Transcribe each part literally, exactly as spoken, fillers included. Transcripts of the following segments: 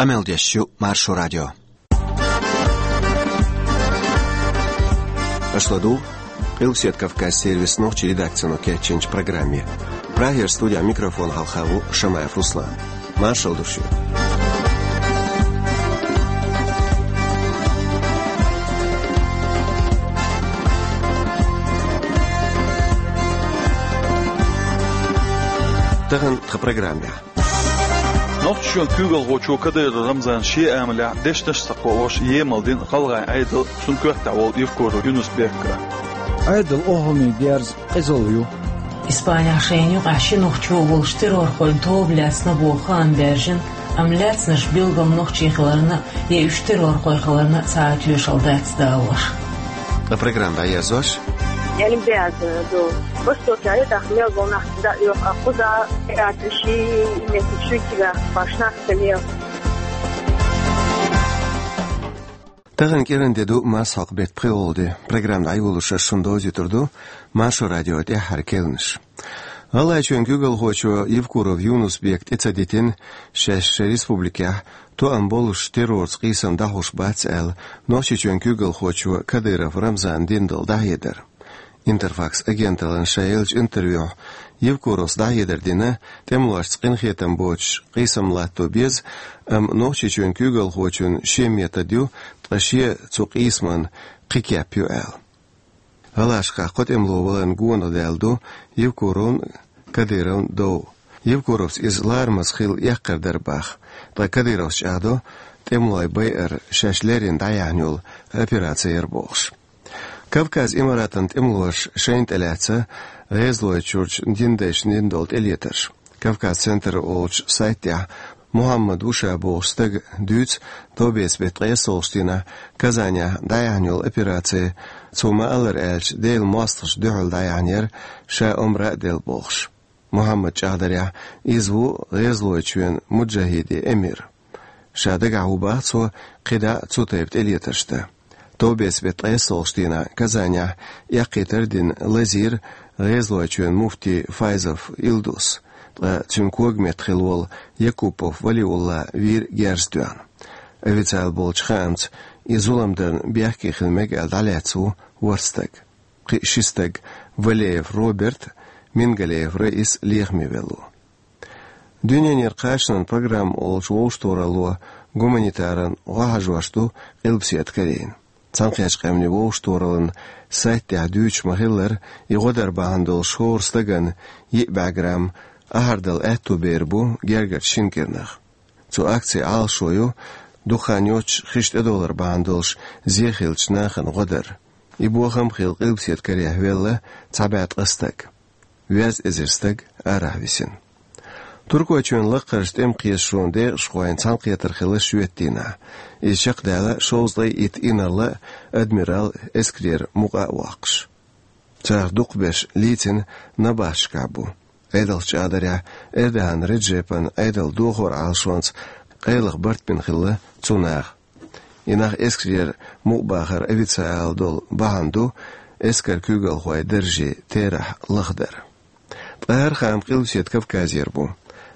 Къамел деш ю Маршо радио. Аша ладугӀу Къилбаседа Кавказ сервисан нохчийн редакцино кечйинчу программе. Прагера студехь микрофон хьалха ву Шамаев Руслан. Маршалла ду шуьга. Тахана тхан программехь. Нохчийчоьнан куьйгалхочо Кадыров Рамзана шен амалехь дешнаш а ца кхоош емал дина гӀалгӀайн Ӏедал, цунна коьртехь волу Евкуров Юнус-Бек а. Ӏедал охӀланийн дерза къизалла ю. Испанехь шайна юкъахь ши нохчо а волуш террорхойн тоба лаьцна боху хаам баьржина, амма лаьцнарш билггал нохчий хиларна а, я уьш террорхой хиларна а цхьа а тоьшалла дац далош. Ткъа программа дӀаерзош. Олимпиада ду. Востокехь даха мел болу нах дӀа оьху а кхуза, театр ши метр шуьйцигахь башнах ца мел. Тахана кӀиран де ду, мас хьокху беттан пхи гӀолла де. Программа дӀайолош ас шуна довзуьйтур ду Маршо радион тӀаьххьара керланаш. ГӀалгӀайчоьнан куьйгалхочо Евкуров Юнус-Бека тӀе ца дитина, шаьш шайн республикехь тоам болуш террорца къийсам дӀахьош бац аьлла, Нохчийчоьнан куьйгалхочо Кадыров Рамзана дина долу дӀахьедар. Интерфакс агенталлина ша еллачу интервьюхь Евкуровс дӀахьедар дина, тӀемалошца къинхетам боцуш къийсам латто беза, амма Нохчийчоьнан куьйгалхочун шен метод ю, ткъа шен цу къийсаман кхин кеп ю аьлла. ГӀалашкахь кхо тӀемало валарна гонах даьлла ду Евкуровн а, Кадыровн а дов. Евкуровс иза ларамаза хилла эккхар дара боху, ткъа Кадыровс чӀагӀдо, тӀемалой байар шаьш леррина дӀаяьхьна йолу операци яра бохуш. Кавказ Имаратан тӀемалоша шайна тӀелаьцна ГӀезалойчуьрчу динадайшна дина долу тӀелетарш. Кавказ-Центр олучу сайтехь Мухьаммад ву ша бохучу стага дуьйцу, товбеца беттан ткъайоьсналгӀачу дийнахь Казанехь дӀаяьхьна йолу операци, цо ма-аллара аьлча, Делан мостагӀашна дуьхьал дӀаяьхьна яра, ша омра а делла бохуш. Мухьаммадан чӀагӀдарехь, иза ву ГӀезалойчоьнан муджахӀидийн эмир. Ша дагахь ву боху цо кхидӀа а цу тайпа тӀелетарш дан. Товбеца беттан ткъайоьсналгӀачу дийнахь Казанехь эккхийтар а дина лазийра ГӀезалойчоьнан муфти Файзов Илдус, ткъа цуьнан когаметта хилла волу Якупов Валиулла вийра герз тоьхна. Официалан болчу хаамца, и зулам дарна бехке хила мега аьлла дӀалаьцна ву ворхӀ стаг. Кхин ши стаг, Валеев Роберт, Мингалеев Раис лехаме велла ву. Дуьненара кхачанан программа олучу вовшахтохаралло гуманитаран гӀо хьажош ду Къилбаседа Корейна. Цхьаьнакхеттачу къаьмнийн вовшахтохараллин сайт тӀехь дуьйцуш ма-хиллара, и гӀо дар бахьана долуш хӀора стагана йиъ бӀе грамм ахьардала аьтту бер бу гергарчу шина кӀирнах. Цу акцин Ӏалашо ю дукха хан йоццуш хиш тӀедовлар бахьана долуш зе хиллачу нахана гӀо дар. И бохам а хилла, Къилбаседа Корейхь велла цхьа бӀе ткъа стаг. Везткъа эзар стаг арахь висина. Туркойчоьнан лакхарчу тӀеман кхеташонан декъашхойн цхьаьнакхетар хилла шоьтан дийнахь. Иза чекхдаьлла шовзткъе итт инарла а, адмирал а эскарера мукъа а воккхуш. Царах дукхахберш лийцина набахташкахь бу. Ӏедалша чӀагӀдарехь, Эрдоган Реджепан Ӏедалан дохоран Ӏалашонца къайлаха барт бина хилла цу наха. И нах эскарера мукъабахар официалан долу бахьана ду эскаран куьйгалхойн даржийн терахь лахдар. Ткъа хӀара хаам Къилбаседа Кавказера бу.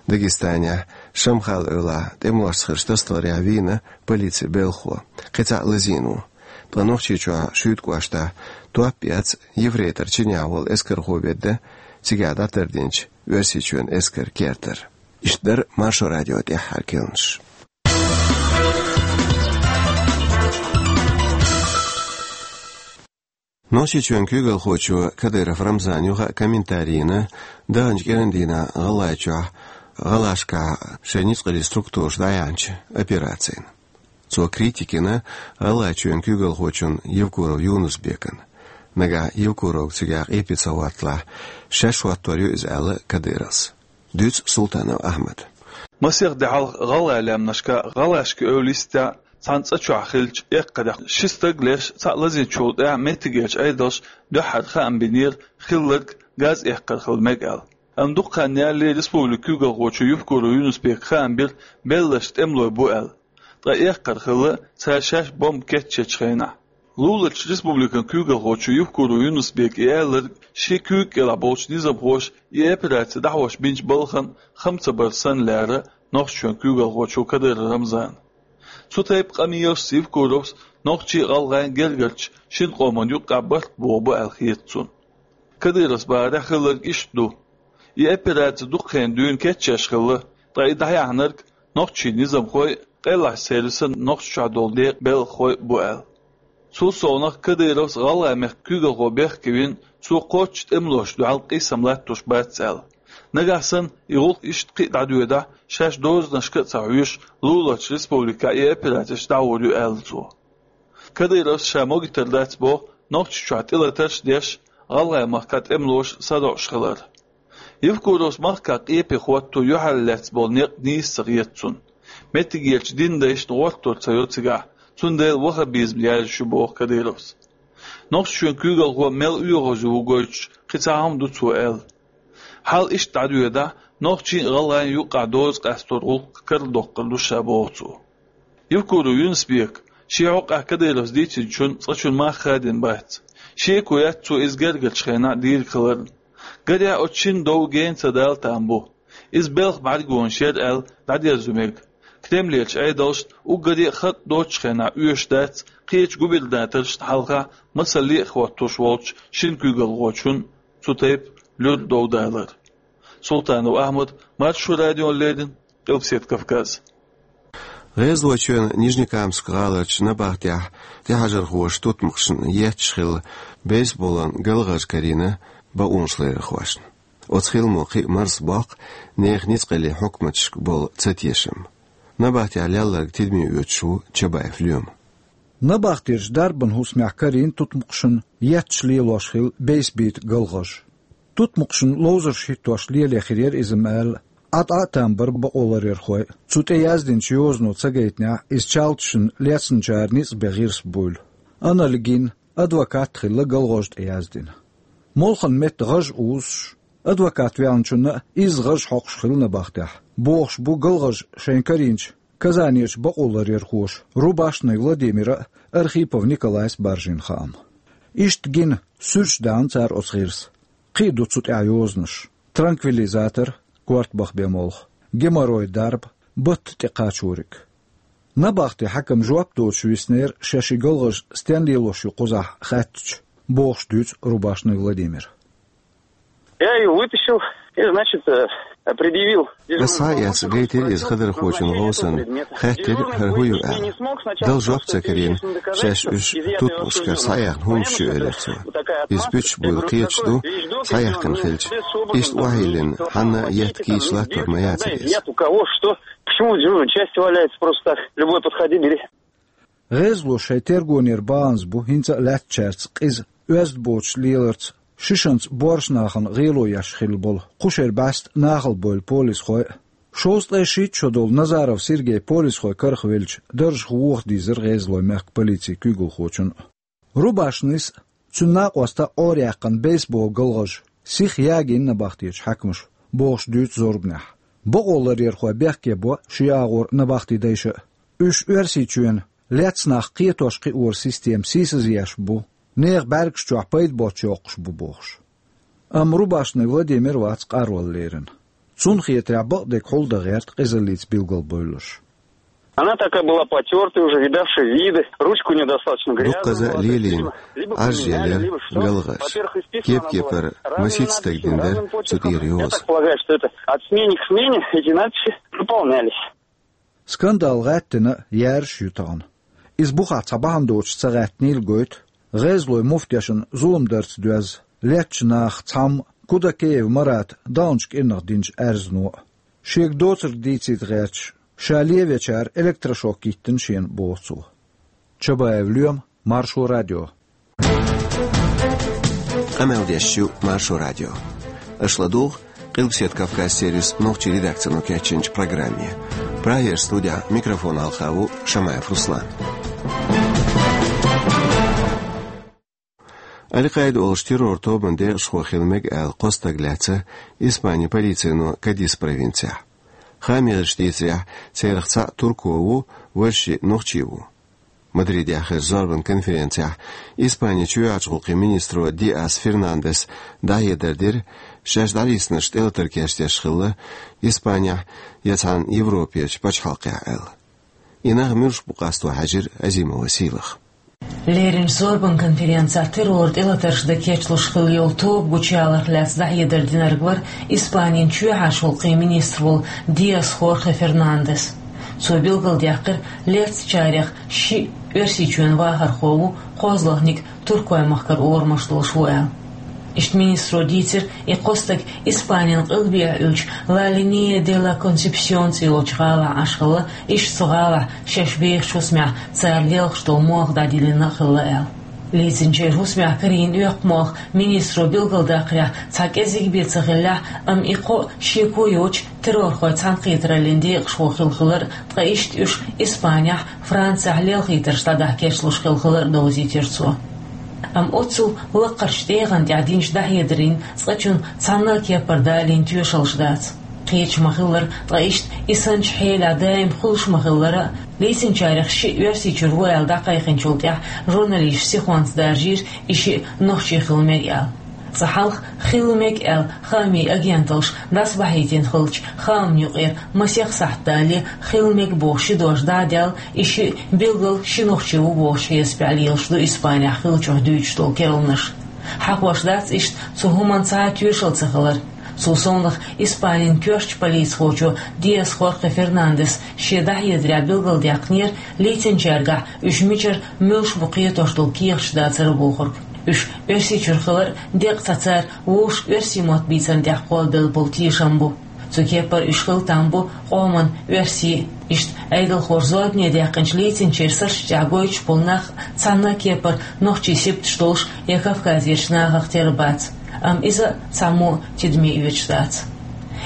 Дагестанехь Шамхал-Эвлахь тӀемалошца хиллачу тасадаларехь вийна полицин белхахо, кхин цхьаъ лазийна ву. Ткъа Нохчийчохь Шуьйта кӀоштахь топ эцна Ефрейтор чинехь волу эскархо ведда цигахь дӀатардинчу Оьрсийчоьнан эскаран кертара. Иштта дара Маршо радион тӀаьххьара керланаш. Нохчийчоьнан куьйгалхочо Кадыров Рамзана юха а комментари йина даханчу кӀиран дийнахь ГӀалгӀайчохь, гӀалашкахь шайн ницкъаллин структураша дӀаяьхьначу операцина. Цо критика йина ГӀалгӀайчоьнан куьйгалхочун Евкуров Юнус-Бекан. Нагахь Евкуровга цигахь къепе ца хӀотталахь, шаьш хӀоттор ю иза аьлла Кадыровс. Дуьйцу Султанов Ахьмада. Масех де хьалха гӀалгӀайн лаьмнашкахь, гӀалгӀашкан эвла йистехь, цхьана цӀа чохь хиллачу эккхарехь ши стаг леш, цхьаъ лазийначул тӀаьхьа меттигерчу Ӏедалша дуьххьара хаам бинера хилларг газ эккхар хила мега аьлла. Амма дукха хан ялале республикан куьйгалхочо Евкуров Юнус-Бека хаам бира белларш тӀемалой бу аьлла. Ткъа эккхар хилла цара шаьш бомба кечъечу хенахь. Луларчу республикан куьйгалхочо Евкуров Юнус-Бека и аьлларг шен куьйга кӀелахь болчу низамхоша и операци дӀахьош бинчу балхана хам ца бар санна лаьара, Нохчийчоьнан куьйгалхочо Кадыров Рамзана. Цу тайпа къамелашца Евкуровс нохчий а, гӀалгӀай а гергарча шин къоман юкъахь барт боху бу аьлла хета цунна. Кадыровс бахарехь хилларг иштта ду. И операци дукха хенахь дуьйна кечъеш хилла, ткъа и дӀаяьхьнарг нохчийн низамхой а, къеллачу сервисан нохчашна долу декъан белхахой а бу аьлла. Цул совнаха Кадыровс гӀалгӀай мехкан куьйгалхо бехке вина, цо кхоччуш тӀемалошна дуьхьал къийсам латтош бац аьлла. Нагахь санна и гӀуллакх иштта кхин а дӀадоьдахь, шаьш дозанашка а ца хьоьжуш, луларчу республикехь и операцеш дӀагӀур ю аьлла цо. Кадыровс ша могуьйтур дац боху Нохчийчохь тӀелатарш а деш, гӀалгӀай махкахь тӀемалоша садоӀуш хилар. Евкуровс махкахь къепе хӀотто юьхьарлаьцна болу некъ нийса ца хета цунна. Меттигерчу динан дайшна гӀортор ца йо цигахь, цундела ваххабизм яьржаш ю боху Кадыровс. Нохчийчоьнан куьйгалхо мел оьгӀазву гойтуш кхин цхьа хӀума ду цо аьлла. Хьал иштта дӀадоьдахь, нохчийн а, гӀалгӀайн а юккъехь доза къастор гӀуллакх карладоккхур ду ша боху цо. Евкуров Юнус-Бека шен хьокъехь Кадыровс дийцинчун цкъачунна мах хадийна бац. Шеко яц цо иза гергарчу хенахь дийриг хиларна. Гарехь, оцу шинна дов гена ца дала там бу. Иза белхан бӀаьргонаш яра аьлла дӀадерзо мега. Кремлерчу Ӏедалшна уггаре а хатӀ доцучу хенахь оьшуш дац кхечу губернаторшна хьалха масалле а хӀоттош волчу шина куьйгалхочун цу тайпа луьра дов далар. Султанов Ахьмад, Маршо радиона леррина, Къилбаседа Кавказ. ГӀезалойчоьнан Нижнекамск гӀаларчу набахтехь тӀехьажархоша тутмакхашна етташ хилла бейсболан галгӀаж карийна бакъонашларъярхошна. Оцу хиламо кхин а марсабоккху нехан ницкъаллин хьукматашка болу цатешам. Набахтехь лелларг тидаме оьцуш ву Чабаев Лоьма. Набахтерчу дарбан хӀусамехь карийна тутмакхашна етташ лелош хилла бейсбийта галгӀаж. Тутмакхашна ловзарш хӀиттош лело хир яра иза-м аьлла, Ӏа тӀе а там бара бакъоларъярхой. Цу тӀе яздинчу йозано ца гайтинехь, иза чалташна лецначара ницкъ бен гӀирс буйла. Аналлиг йина, адвокат а хилла галгӀаж тӀе яздина. Молханан метта гӀаж узуш, адвокат ваьллачунна а изза гӀаж хьокхуш хилла набахтехь, бохуш бу галгӀаж шайна карийначу Казанерчу бакъоларъярхоша Рубашный Владимира а, Архипов Николайс а баржийна хаам. Иштта гина, суьрташ даьхна цара оцу гӀирса. Кхин а ду цу тӀехь йозанаш: транквилизатор, корта баха бен молха, геморрой дарба, батта тӀе кхачориг. Набахтин хьаькам жоп доцуш виснера шаьш и галгӀаж стенна лелош ю кхузахь хаьттича, бохуш дуьйцу Рубашный Владимира. Я её вытащил и, значит, э, предъявил. Ас схьа а эцна гайтира иза хадархочун гӀовсанна, хаьттира, хӀара хӀун ю аьлла. Дала жоп ца карийна, шаьш уьш тутмакхашкара схьаяьхна хӀуманаш ю, элира цо. Иза пуьташ буйла кхеташ ду, схьаяьккхина хилча. Иштта охьайиллина, хьанна а етта кийча латтор ма яцара иза. Нет у кого что, почему в дежурной части валяется просто так? Любой подходи, бери. ГӀезало шайн тергонера баханза бу хӀинца а лаьттачаьрца къиза, оьзда боцуш леларца, шишанца боьрша нахана гӀело еш хилла болу кху шеран бӀаьста нахала бевлла полисхой а. Шовзткъе шийтта шо долу Назаров Сергей полисхой карах велча, даржах воха дийзира ГӀезалойн мехкан полицин куьйгалхочун а. Рубашныйс а, цуьнан накъоста а Ӏораяьккхина бейсбол галгӀаж сиха ягийна набахтечу хьаькамаша, бохуш дуьйцу зорбанехь. Бакъоларъярхой бехке бо шен агӀор набахти дайша а. Уьш Оьрсийчоьнан лецна нах кхетош-кхиоран система сийсазъеш бу, нехан бӀаьргаш чохь пайда боцуш йоккхуш бу бохуш. Амма Рубашный Владимир вац къарвала лерина. Цунна хетарехь, бакъдерг хьулдан гӀерта къизаллица билгалбевлларш. Она такая была потёртая, уже видавшая виды, ручка у неё достаточно грязная была, то есть, видимо, либо поменяли, либо что. Во-первых, исписана она была разными почерком. Кеп-кепара масийтта стаг дина дара цу тӀера йоза. Я так полагаю, что это от смены к смене эти надписи дополнялись. Скандал гӀаьттина яьржаш ю тахана. Иза бухахь цхьа бахьана доцуш ца гӀаьттинийла гойту, ГӀезалойн муфтешна зулам дарца доьзна, лецначу нахах цхьамма Кудакеев Марата даханчу кӀирнах динчу аьрзано а. Шега доцург дийцийта гӀерташ, ша лен вечара электрошок йиттина шена, боху цо. Чабаев Лоьма, Маршо радио. Къамел деш ю Маршо радио. Аша ладугӀу Къилбаседа Кавказ сервисан нохчийн редакцино кечйинчу программе. Прагера студехь микрофон хьалха ву Шамаев Руслан. Аль-Къаида олуш террор тобанан декъашхо хила мега аьлла кхо стаг лаьцна Испанин полицино Кадис провинцехь. Хаамеша дийцарехь, царах цхьаъ турко ву, важа шиъ нохчи ву. Мадридехь хезачу зорбан конференцехь Испанин чоьхьарчу гӀуллакхийн министро Диас Фернандес дӀахьедар дира, шаьш дӀалецнарш тӀелатар кечдеш хилла Испанехь я цхьана Европерчу пачхьалкхехь аьлла. И нах муьлш бу къасто хьаьжира Азимова Сийлаха. Лерринчу зорбан конференцехь террор тӀелатарш дан кечлуш хилла йолу тоба гучуяларх лаьцна дӀахьедар динарг вара Испанин чоьхьарчу гӀуллакхийн министр волу Диас Хорхе Фернандес. Цо билгалдаьккхира, лецначарех шиъ Оьрсийчоьнан вахархо ву, кхозлагӀниг Туркойн махкара орамаш долуш ву аьлла. Иштта министро дийцира, и кхо стаг Испанин къилбехьа йолчу Ла Линия де ла Консепсион цӀе йолчу гӀалахь Ӏаш хилла, иштта цу гӀалахь шаьш бехачу хӀусамехь цара лелхаш долу молха дӀадиллина а хилла аьлла. Лецначеран хӀусамехь карийна оьккху молха министро билгалдаккхарехь цхьа кӀезиг бен ца хиллехь, амма и кхоъ шеко йоцуш террорхойн цхьаьнакхетараллин декъашхо хилла хилар, ткъа иштта уьш Испанехь, Францехь лелхийтарш дӀадахьа кечлуш хилла хилар а довзийтира цо. Амма оццул лакхарчу тӀегӀан тӀехь динчу дӀахьедарийн цкъачунна цхьанна а кепара далийна тоьшаллаш дац. Кхеташ ма-хиллара, ткъа иштта и санначу хьелехь даим хуьлуш ма-хиллара, лецначарех шиъ Оьрсийчуьра ву аьлла дӀакхайкхинчул тӀаьхьа журналисташ сихонца даржийра, и шиъ нохчий хила мега аьлла. Цкъа хьалха хила мега аьлла хаамийн агенталлаш дӀасабахьийтина хиллачу хаамна юкъара масех сахьт далале, хила мега бохуш ши дош дӀа а даьлла, и шиъ билггал ши нохчи ву бохучу хьесапехь лелаш ду Испанехь хиллачух дуьйцуш долу керланаш. Хьахош дац иштта цу хӀуманна цхьа а тоьшалла ца хилар. Цул совнаха Испанин коьртачу полицихочо Диас Хорхе Фернандес шен дӀахьедарехь билгалдаьккхинера, лецначаьргахь уьш мичара, муьлш бу кхетош долу кехаташ дацара бохург. Уьш Оьрсийчуьра хилар деккъа ца цара вовшашка оьрсийн мотт бийцарна тӀехь кхоллабелла болу тешам бу. Цу кепара уьш хила там бу къоман оьрсий. Иштта Ӏедалхоша зорбане даьккхинчу лецначеран сарташ тӀехь гойтуш болу нах цхьанна а кепара нохчийн сибаташ долуш я Кавказерчу нахах тера бац, амма иза а цхьаммо а тидаме оьцуш дац.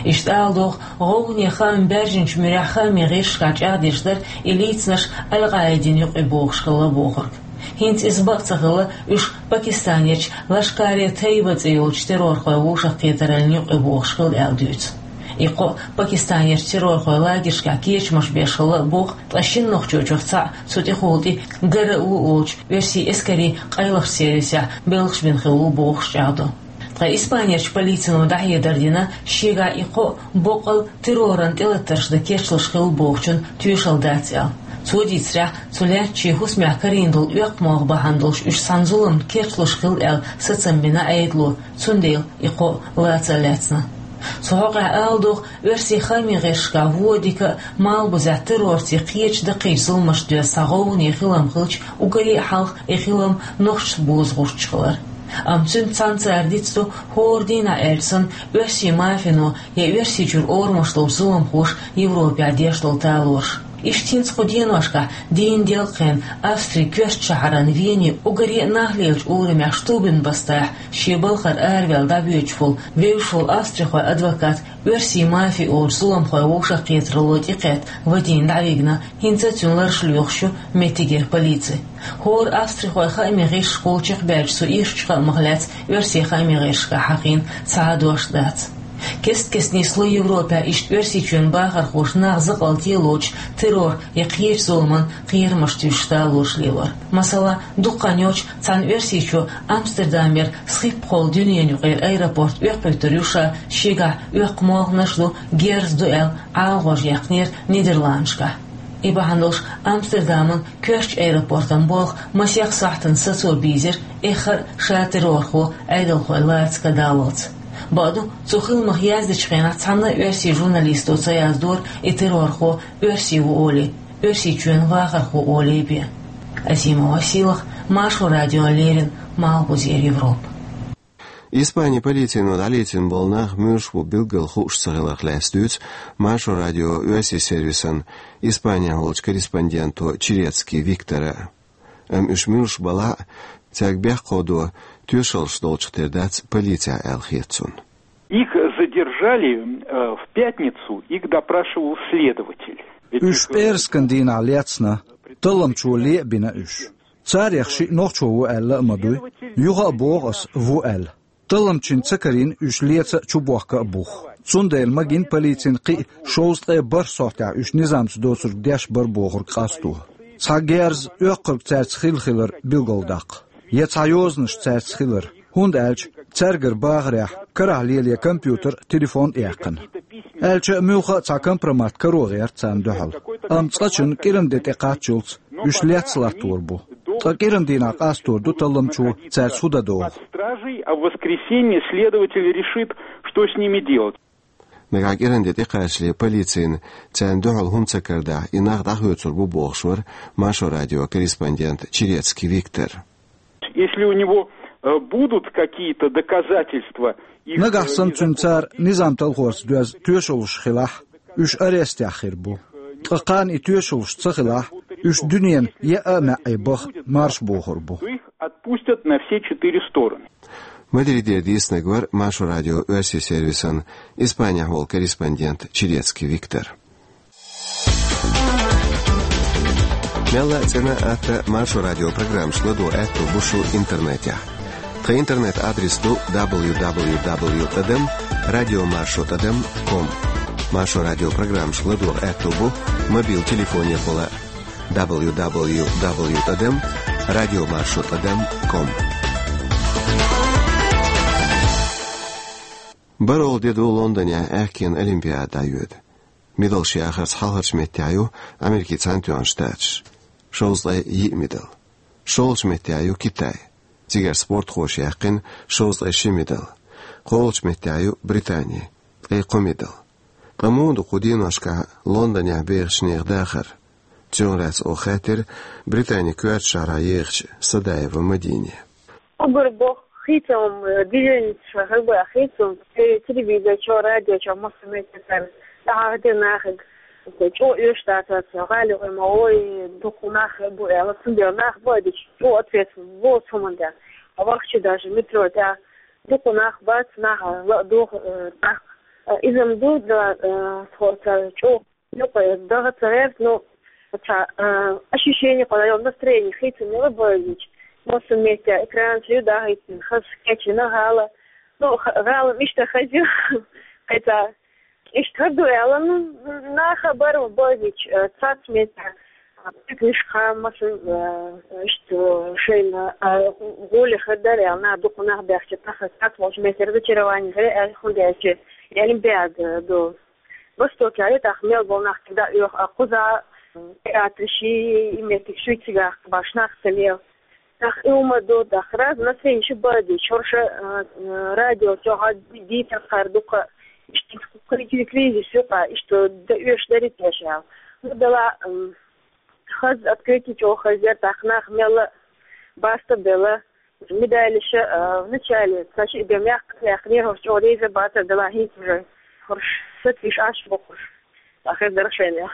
Иштта ала догӀу, гӀовгӀане хаам баьржинчу муьрехь хаамийн гӀирсашкахь чӀагӀдеш дара и лецнарш Аль-Къаидина юкъе бохуш хилла бохург. ХӀинца иза бакъ ца хилла, уьш Пакистанерчу Лашкар-е-Тайба цӀе йолчу террорхойн вовшахкхетараллин юкъе бохуш хилла аьлла дуьйцу. И кхоъ Пакистанерчу террорхойн лагершкахь кечамаш беш хилла а боху, ткъа шина нохчочух цхьаъ цу тӀехула тӀе ГРУ олучу оьрсийн эскарийн къайлахчу сервисехь белхаш бина хилла ву бохуш чӀагӀдо. Ткъа Испанерчу полицино дӀахьедар дина, шегахь и кхоъ боккъал терроран тӀелатарш дан кечлуш хилла бохучун тоьшалла дац аьлла. Цо дийцарехь, цу лаьттачийн хӀусамехь карийна долу оьккху молха бахьана долуш уьш цхьана зуламна кечлуш хилла аьлла сацам бина Ӏедало, цундела и кхоъ лаца а лаьцна. Цу хьокъехь ала догӀу, оьрсийн хаамийн гӀирсашкахь вон дика а, малхбузехь террорций кхечу даккхийчу зуламашца доьзна цхьа гӀовгӀане хилам хилча, уггаре а хьалха и хилам нохчашца боза гӀурташ хилар. Амма цуьнца цхьаьна цара дицдо, хӀора дийнахь аьлча санна, оьрсийн мафино я Оьрсийчуьра орамаш долчу зуламхоша Европехь деш долу талораш. Иштта хӀинца кху деношкахь дийна делкъехь Австрин коьртачу шахьаран Вене уггаре а нах лелачу урамехь Штубенбастахь шен балхара араваьлла дӀабоьдуш волу вевзаш волу австрихойн адвокат оьрсийн мафи олучу зуламхойн вовшахкхетаралло тӀекхетта Вадим дӀавигна, хӀинца а цуьнан лараш лоьхуш ю меттигера полици. ХӀора австрихойн хаамийн гӀирсашкахула чекхбаьллачу цу ирчу хаамах лаьцна оьрсийн хаамийн гӀирсашкахь хьахийна цхьа а дош дац. Кест-кеста нисло Европехь иштта Оьрсийчоьнан бахархоша нах закъалталоцуш террор я кхечу зуламан кхерамаш туьйсуш талораш лелор. Масала, дукха хан йоцуш цхьана оьрсичо Амстердамера схьиппахула дуьненаюкъара аэропорт оьккхуьйтур ю ша, шегахь оьккху молханаш а ду, герз а ду аьлла, ӀалагӀожа яьккхинера Нидерландашкахь. И бахьана долуш Амстердаман коьртачу аэропортан болх масех сахьтана сацо бийзира, эххар а ша террорхо Ӏедалхой лаца кадаллалц. Бакъду, цу хиламах яздечу хенахь цхьанна а оьрсийн журналисто ца яздора и террорхо оьрси ву олий, Оьрсийчоьнан вахархо олий бен. Азимова Сийлаха, Маршо радиона леррина, Малхбузера Европа. Испанин полицино дӀалецна болу нах муьлш бу билггал хууш ца хиларх лаьцна дуьйцу Маршо радион оьрсийн сервисан Испанехь волчу корреспонденто Черецкий Виктора. Амма уьш муьлш балахь а, цаьрга бехк кховдо тоьшаллаш долчух тера дац полицехь аьлла хета цунна. Их задержали э, в пятницу, их допрашивал следователь. Ведь Уьш их, э, пӀераскан дийнахь лецна, талламчо ле а бина уьш. Царех шиъ нохчо ву аьлла а ма дуй. Юха а боху ас, ву аьлла. Талламчин ца карийна уьш леца а, чубохка а бух. Цундела магийна полицин кхин а шовзткъе бархӀ сохьтехь уьш низамца доцург деш бара бохург къасто. Цхьа герз оьккхург цаьрца хилла хилар билгалдаккха. Я цхьа йозанаш цаьрца хилар. ХӀунда аьлча цаьргара бахарехь карахь леле компьютер, телефон а яьккхина. Аьлча а муьлхха а цхьа компромат каро гӀерта царна дуьхьал. Амма цкъачунна кӀиран де тӀе кхаччалц уьш лецна латтор бу. Ткъа кӀиран дийнахь къастор ду талламчо цаьрца хӀун дан догӀу. Стражей, а в воскресенье следователь решит, что с ними делать. Нагахь кӀиран де тӀекхачале полицина царна дуьхьал хӀума ца карадахь, и нах дӀахоьцур бу бохуш вара Маршо радион корреспондент Черецкий Виктор. Если у него э, будут какие-то доказательства, их, Нагахь э, санна цуьнан цара низам талхорца доьзна тоьшаллаш хилахь, уьш арестехь хир бу. Ткъа кхана и тоьшаллаш ца хилахь, уьш дуьненан яа а маьӀӀе баха марша бохур бу. То их отпустят на все четыре стороны. Мадридера дийцинарг вара Маршо радион оьрсийн сервисан Испанехь волу корреспондент Черецкий Виктор. Мелла а цӀена а, атта Маршо радион программашка ладогӀа аьтто бу шун интернетехь. Тхан интернет-адрес ду дабл ю дабл ю дабл ю тӀадам радиомаршо тӀадам ком. Маршо радион программашка ладогӀа аьтто бу мобил телефонехула дабл ю дабл ю дабл ю тӀадам радиомаршо тӀадам ком. БархӀалгӀа де ду Лондонехь аьхкенан олимпиада дӀайоьду. Медалш яхарца хьалхарчу меттехь ю Америкин Цхьаьнатоьхна Штаташ. Шовзткъе йиъ медал. ШолгӀачу меттехь ю Китай. Цигара спортхоша яьккхина шовзткъе ши медал. КхоалгӀачу меттехь ю Британи. Ткъе кхо медал. Ткъа муха ду кху деношкахь Лондонехь бехачу нехан дахар? Цунах лаьцна оха хаьттира Британин коьртачу шахьарахь ехачу Садаева Мадине. Уггар боху хийцам, э, движенца хилла хийцам, те-, телевизор чохь, радио чохь массо а меттехь цара дӀахьахдира нахе, чӀогӀа оьшуш дац, гӀали гӀой ма гӀой, дукха нах бу аьлла, цундела нах бу а дича, чӀогӀа ответственность бу цу хӀуманна тӀехь. А вахча даже метро тӀехь дукха нах бац, нах ла а доху, э, тӀаккха. Э, иза-м ду, да, э, тхо цара чӀогӀа юкъа даха ца гӀерта, ну, цхьа, а, ощущение кхуьнан, настроение хийцина мела бевлча, массо а меттехь экранаш ю дахийтина, хаза кечйина гӀала. Ну, х-, гӀала иштта хаза ю, кхин цхьа иштта хӀара ду аьлла, ну, наха бара бевлча, а, цхьацца меттехь, а, пикнишка массо а, а, иштта шайна, а, гӀоле хир дара аьлла, наха дукха нах баьхча, тахана цхьацца волчу меттехь разочарование хир, а, хӀунда аьлча, и олимпиада ду. Востокехь тӀаккха мел болу нах цига дӀа оьху, а кхузахь, м, театраш, и меттигаш ю цигахь баш нах ца лела. ТӀаккха и хӀума ду, тӀаккха раза настроение ю бевлча, хӀорш, а, а, радио чохь а ди-, дийцар кхара дукха, иштта кхин кризис ю кхара, иштта дан оьшуш дарий-те аша аьлла. Ну, дала, м, хаза открытие чӀогӀа хаза яра, тӀаккха нах мелла а баста а белла. Медалаш, а, вначале, ца шиъ бен мягко яьккхинера, хӀорш чӀогӀа реза бацара, дала хӀинца уже хӀорш сатуьйсуш Ӏаш бохуш, ахир дара шайнех.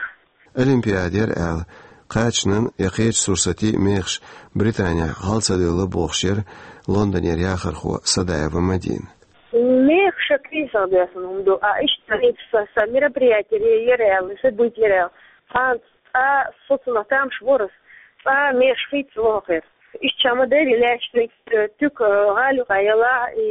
Олимпиада яра аьлла, кхачанан я кхечу сурсатийн мехаш Британехь хьал ца девлла бохуш яра Лондонера яхархо Садаева Мадина. Мехаш а кризисах доьссина хӀума ду, а иштта хӀинца сан, сан мероприятие яра аьлла, событие яра аьлла. Цхьана цкъа со цунах тамаш вара ас, цкъа мехаш хийца вахара. Иштта ма дерри лаьтташ, э, туька, э, гӀали юкъа яла и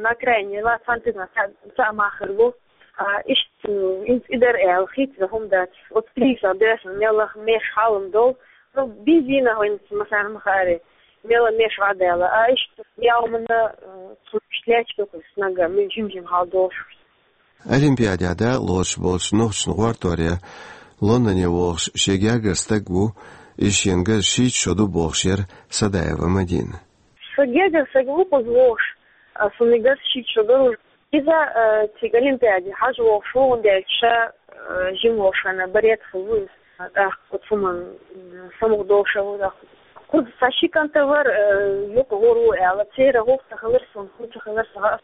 на окраине яла, цхьана туька цхьа, цхьа мах хир бу. А иштта, э, хӀинца и дара аьлла, хийца хӀума дац. Оцу кризисах доьссина меллаха мехаш хьалам долу. Ну, бензина хӀинца масарна ма хаьара, мела мехаш гӀа даьлла. А иштта, я хӀуманна, э, цунна иштта лаьтташ ду-кх ас нагахь, мила жим-жим хьал долуш. Олимпиадехь дакъалоцуш болчу нохчашна гӀортор ян Лондоне вохуш шен гергара стаг ву, иза шена гарза шийтта шо ду бохуш яра Садаева Мадина. Сан гергара стаг ву кхуза вохуш, а, суна гарза шийтта шо дара. Иза, а, цига Олимпиаде хьажа вохуш ву, хӀунда аьлча ша, а, жима волуш хенахь баретахь ву иза. ТӀаккха оцу хӀуманна, м, самукъадолуш ву тӀаккха. Кхуза сан ши кӀант а вара, а, юкъа гӀур ву аьлла, церан хӀух ца хилира суна, хӀу ца хилира сан.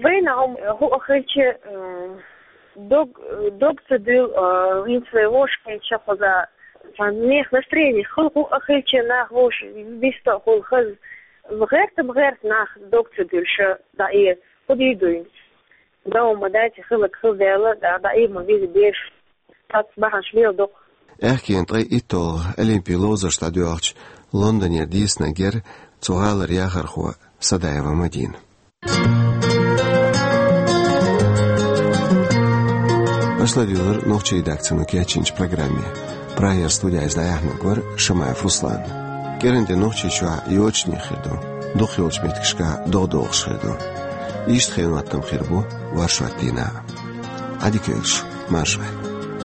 Вайна хӀума, хӀуъа хилча, э, дог, дог ца дуьллу, э, хӀинца вай вовшахкхетча кхуза, цхьа нехан настроение хила, хӀуъа хилча нах вовшах виста а хуьлу хаза. ГӀерта ма гӀерта нах дог ца дуьллуш дӀаэца. ХӀун дийр ду хӀинца? Дан хӀума дац, хилларг хилла даьлла, дӀа, дӀаийр ма веза бераш. Цхьацца бахьанаш мел доккху. Аьхкенан ткъе итталгӀа олимпийн ловзарш дӀадоьлхучу Лондонера дийцинарг яра цу гӀалара яхархо Садаева Мадина. Аша ладуьйгӀира нохчийн редакцино кечйинчу программе. Прагера студида иза дӀаяьхьнарг вара Шамаев Руслан. КӀиранде Нохчийчохь йочане хир ду, дукхахйолчу меттигашка догӀа догӀуш хир ду. Иштта хенан хӀоттам хир бу варшот дийнахь. Ӏадика йойла шун, марша Ӏойла.